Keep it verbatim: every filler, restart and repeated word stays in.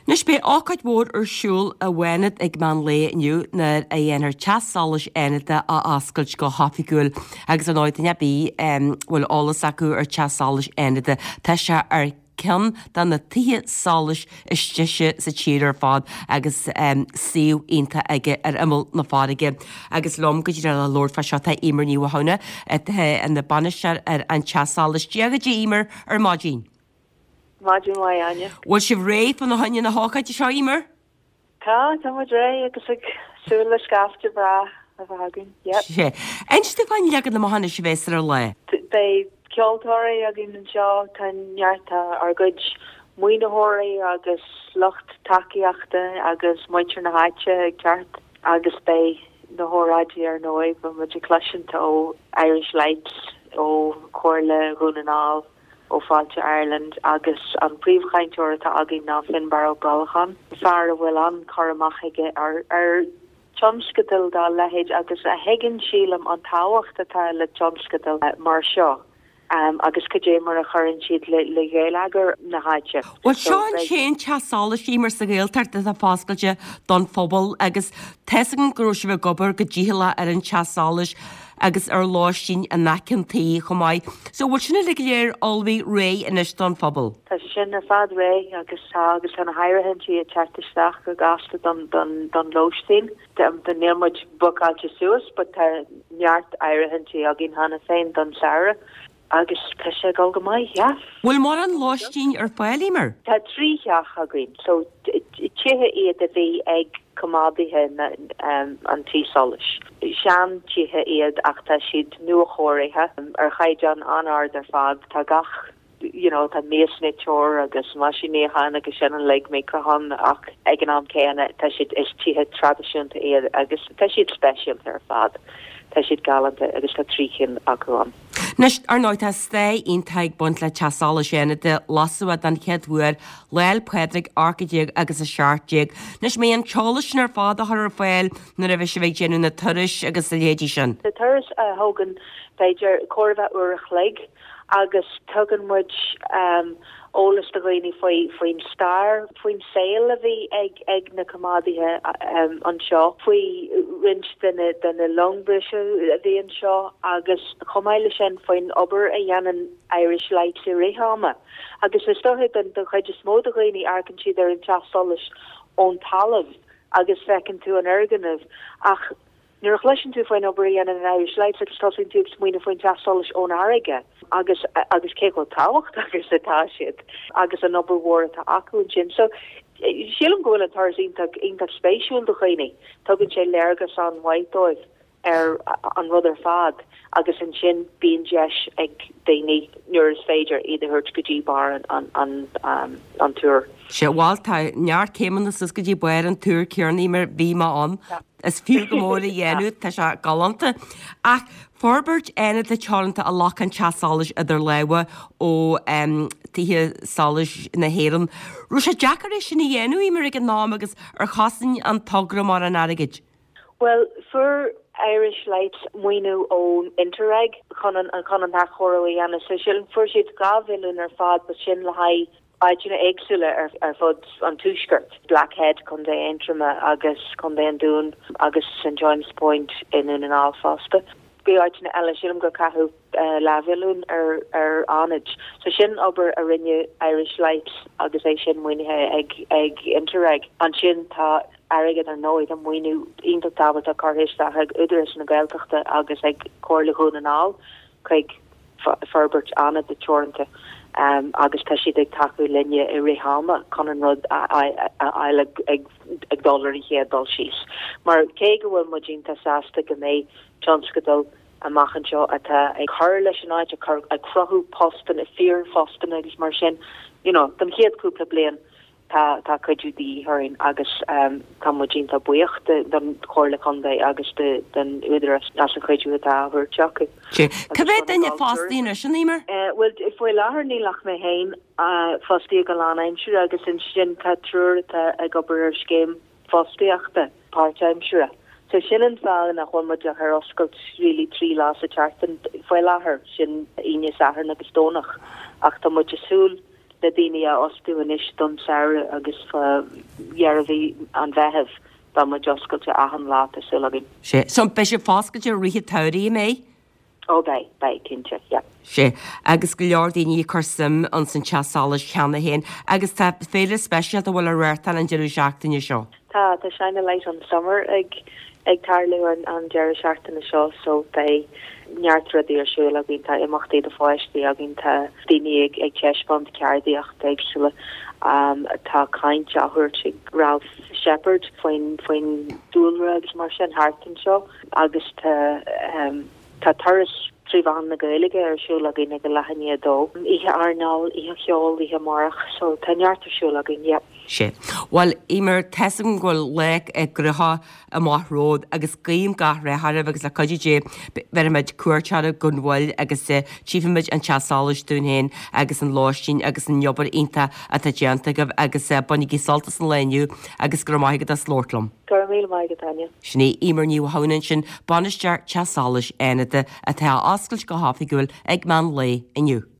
Anois beidh ócáid mhór ar siúl i bhFánad ag meán lae inniu nuair a dhéanfar Teach Solais Fhánada a oscailt go hoifigiúil agus ar ndóigh duine ar bith a bhfuil eolas acu ar Teach Solais Fhánada tá sé ar ceann de na tithe solais is deise sa tír ar fad agus suíomh iontach aige ar imeall na farraige. Agus liom go díreach le labhairt fá seo tá Emer Ní Mhathúna atá ina bainisteoir ar an Teach Solais. Dia dhuit Emer ar maidin. Maidin mhaith Áine. Bhfuil sibh réidh fá choinne na hócáide seo Emer? Tá tá muid réidh agus ag súil le scaifte breá a bheith againn. Yep. Sé. Inis dúinn fán leagan amach anois a bheas ar an lá. Beidh ceoltóirí againn anseo tá neart ár gcuid maoinitheoirí agus lucht tacaíochta agus muintir na háite ag teacht agus beidh na hóráidí ar ndóigh beidh muid ag cloisint ó Irish Lights ó Chomhairle Dhún na nGall ó Fáilte Ireland agus an príomhchainteoir atá againn ná Finbarr Ó Brollacháin, fear a bhfuil an-chur amach aige ar ar tionscadal dá leithéid agus a thuigeann sílim an tábhacht atá le tionscadal mar seo. Um, agus cad é mar a chuireann siad le le geilleagar na háite. Well seo an t-aon teach solais Emer sa Ghaeltacht atá foscailte don phobal agus tá a fhios agam go raibh sibh ag obair go dícheallach ar an teach solais agus ar lóistín in aice an tí chomh maith. So bhfuil sin uilig go léir ullmhaithe réidh anois don phobal. Tá sé sin ar fad réidh agus tá agus tá na háirithintí ag teacht isteach go gasta don don don lóistín. Níl muid bookáilte suas, but tá neart áirithintí againn cheana féin don samhradh agus tá sé ag dul go maith, yeah. Bhfuil mórán lóistín ar fáil Emer? Tá trí theach againn, so tithe iad a bhí ag coimeádaithe um, an tí solais. Seantithe iad ach tá siad nuachóirithe ar chaighdeán an-ard ar fad tá gach you know, tá miasniteoir agus meaisín níocháin agus sin uilig micreathonn ach ag an am céanna tá siad is tithe traidisiúnta iad agus tá siad speisialta ar fad. Tá siad galánta agus tá trí cinn acu ann. Anois ar ndóigh tá stair iontach ag baint le Teach Solais Fhánada lasadh den chéad uair Lá 'le Pádraig ocht déag agus a seacht déag. Anois mbeidh an t-eolas sin ar fad á chur ar fáil nuair a bheidh sibh ag déanamh na turais agus a leithéidí sin. Na turais a thógann b'fhéidir chóir a bheith uair a chloig agus tugann muid um, eolas do dhaoine faoi faoin stair, faoin saol a bhí ag ag na coimeádaithe um, anseo, faoi roinnt de na de na longbhriseadh a bhí anseo agus chomh maith leis sin faoin obair a dhéanann Irish Lights i rith ama. Agus is dócha den den chuid is mó de dhaoine amharcann siad ar an teach solais ón talamh agus feiceann tú an fhoirgneamh ach nuair a chloiseann tú faoin obair a dhéanann an Irish Lights agus tosaíonn tú ag smaoineamh faoin teach solais ón fharraige agus agus cé chomh tábhachtach agus atá siad agus an obair mhór atá acu ansin. So sílim go bhfuil an turas iontach iontach spéisiúil do dhaoine, tugann sé léargas an-mhaith dóibh ar an rud ar fad agus ansin bíonn deis ag daoine nuair is féidir iad a thabhairt go dtí barr an an an um, an túr. Sé bhuel tá neart céimeanna suas go dtí barr an túr céanna mar bhí mé ann. Is fiú go mór a dhéanamh tá sé galánta. Ach Forbairt Fhánada Teoranta a ghlac an teach solais idir lámha ó um, tithe solais na hÉireann. Raibh sé deacair é sin a dhéanamh Emer ag an am agus ar chosain an togra mar an airgid. Well, fuair Irish Lights maoiniú ón Interreg chun an chun an athchóiriú a dhéanamh so sin fuair siad dhá mhilliún ar fad ba sin le haghaidh áiteanna éagsúla ar, ar fud an tuaiscirt. Blackhead Contae Aontroma agus Contae an Dúin agus St John's Point i nDún na nGall fosta. Bhí áiteanna eile sílim gur caitheadh uh, leathmhilliún ar ar Fhánaid. So sin obair a rinne Irish Lights agus é sin maoinithe ag ag Interreg. Ansin tá airgead ar ndóigh an maoiniú iontach tábhachtach curtha isteach ag Údarás na Gaeltachta agus ag Comhairle Dhún na nGall chuig forbairt Fhánada Teoranta um, agus tá siad ag tacú linne i rith ama chun an rud a fháil ag, ag, ag dul ar an chéad dul síos. Mar cé go bhfuil muid iontach sásta go mbeidh tionscadal amach anseo atá ag cur leis an áit ag cruthú postanna fíorphostanna agus mar sin you know, don chéad cúpla bliain tá tá cuidiú de dhíth orainn agus um, tá muid iontach buíoch don Chomhairle Contae agus de, den Údarás as an chuidiú atá á thabhairt acu. Cá mhéad duine fostaithe anois an Emer? Uh, well faoi láthair níl ach mé féin uh, fostaithe go lánaimseartha agus ansin tá triúr atá ag obair ar scéim fostaíochta páirtaimseartha. So sin an fáth nach bhfuil muid ach ar oscailt really trí lá sa tseachtain faoi láthair sin Aoine Satharn agus Domhnach ach tá muid ag súil na daoine a fhostú anois don samhradh agus fá dheireadh mhí an Mheithimh beidh muid oscailte achan lá tá súil againn. Sea, so beidh sibh oscailte i rith an tsamhraidh, an mbeidh? Ó beidh, beidh, cinnte, yeah. Sea, agus go leor daoine ag cur suim ins an teach solais cheana féin agus tá féile speisialta a bhfuil á reáchtáil an deireadh seachtaine seo. Tá, tá Shine a Light on Summer ag ag tarlú an an deireadh seachtaine seo so beidh neart rudaí ar siúl againn, tá imeachtaí do pháistí againn, tá daoine ag ag taispeáint ceardaíocht éagsúla, um, tá caint á thabhairt ag Ralph Shepherd faoin faoin dúlra agus mar sin thart anseo agus tá um, tá turas trí mheán na Gaeilge ar siúl againn ag a leath i ndiaidh a dó. Oíche airneáil, oíche cheoil, oíche amárach, so tá neart ar siúl againn, yeah. Sea. Bhuel, Eimear, tá's agam go bhfuil lá gnóthach amach romhat agus guím gach rath oraibh agus le cuidiú Dé bhéarfaimid cuairt oraibh gan mhoill agus tchífimid an teach solais dúinn féin agus an lóistín agus an obair iontach atá déanta agaibh agus bainigí sult as an lá inniu agus go raibh maith agat as labhairt liom. Go raibh míle maith agat, Áine. Sin í Eimear Ní Mhathúna ansin, Bainisteoir Teach Solais Fhánada atá á oscailt go hoifigiúil ag meán lae inniu.